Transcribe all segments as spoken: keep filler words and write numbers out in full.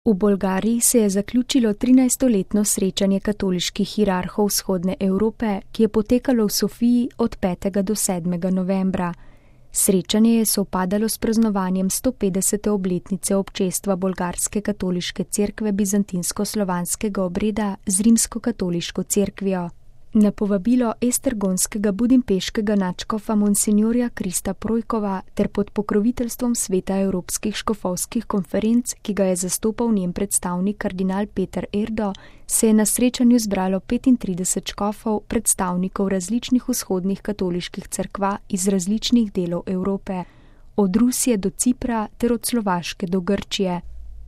V Bolgariji se je zaključilo trinajstoletno srečanje katoliških hierarhov vzhodne Evrope, ki je potekalo v Sofiji od petega do sedmega novembra. Srečanje je sovpadalo s praznovanjem stopetdesete obletnice občestva bolgarske katoliške cerkve bizantinsko-slovanskega obreda z rimsko-katoliško cerkvijo. Na povabilo estergonskega budimpeškega nadškofa monsinjorja Krista Projkova ter pod pokroviteljstvom Sveta evropskih škofovskih konferenc, ki ga je zastopal njen predstavnik kardinal Peter Erdo, se je na srečanju zbralo petintrideset škofov, predstavnikov različnih vzhodnih katoliških cerkva iz različnih delov Evrope, od Rusije do Cipra ter od Slovaške do Grčije.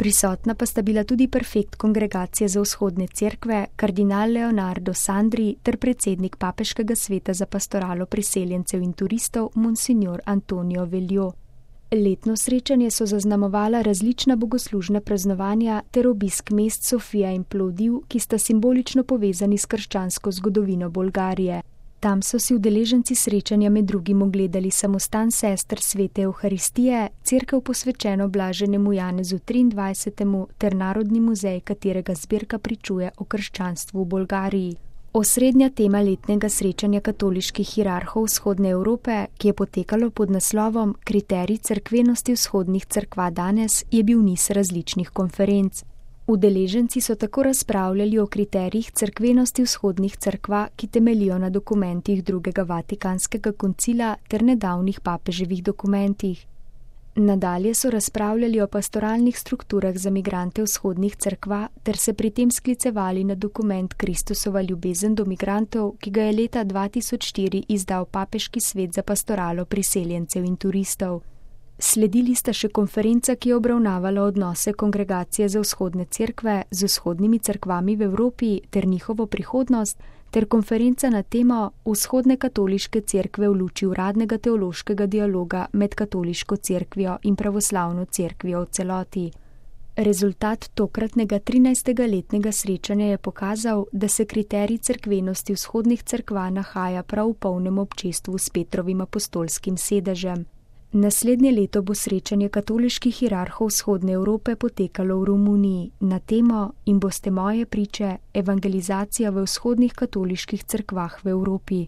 Prisotna pa sta bila tudi prefekt kongregacije za vzhodne cerkve, kardinal Leonardo Sandri ter predsednik papeškega sveta za pastoralo priseljencev in turistov, monsinjor Antonio Veljo. Letno srečanje so zaznamovala različna bogoslužna praznovanja ter obisk mest Sofija in Plovdiv, ki sta simbolično povezani s krščansko zgodovino Bolgarije. Tam so si udeleženci srečanja med drugim ogledali samostan sester svete Evharistije, cerkev posvečeno blaženemu Janezu triindvajsetemu ter Narodni muzej, katerega zbirka pričuje o krščanstvu v Bolgariji. Osrednja tema letnega srečanja katoliških hierarhov vzhodne Evrope, ki je potekalo pod naslovom Kriterij cerkvenosti vzhodnih cerkva danes, je bil niz različnih konferenc. Udeleženci so tako razpravljali o kriterijih cerkvenosti vzhodnih cerkva, ki temeljijo na dokumentih drugega Vatikanskega koncila ter nedavnih papeževih dokumentih. Nadalje so razpravljali o pastoralnih strukturah za migrante vzhodnih cerkva ter se pri tem sklicevali na dokument Kristusova ljubezen do migrantov, ki ga je leta dva tisoč štiri izdal papeški svet za pastoralo priseljencev in turistov. Sledili sta še konferenca, ki je obravnavala odnose kongregacije za vzhodne cerkve z vzhodnimi cerkvami v Evropi ter njihovo prihodnost, ter konferenca na temo Vzhodne katoliške cerkve v luči uradnega teološkega dialoga med katoliško cerkvijo in pravoslavno cerkvijo v celoti. Rezultat tokratnega trinajstega letnega srečanja je pokazal, da se kriterij cerkvenosti vzhodnih cerkva nahaja prav v polnem občestvu s Petrovim apostolskim sedežem. Naslednje leto bo srečanje katoliških hierarhov vzhodne Evrope potekalo v Romuniji na temo In boste moje priče, evangelizacija v vzhodnih katoliških cerkvah v Evropi.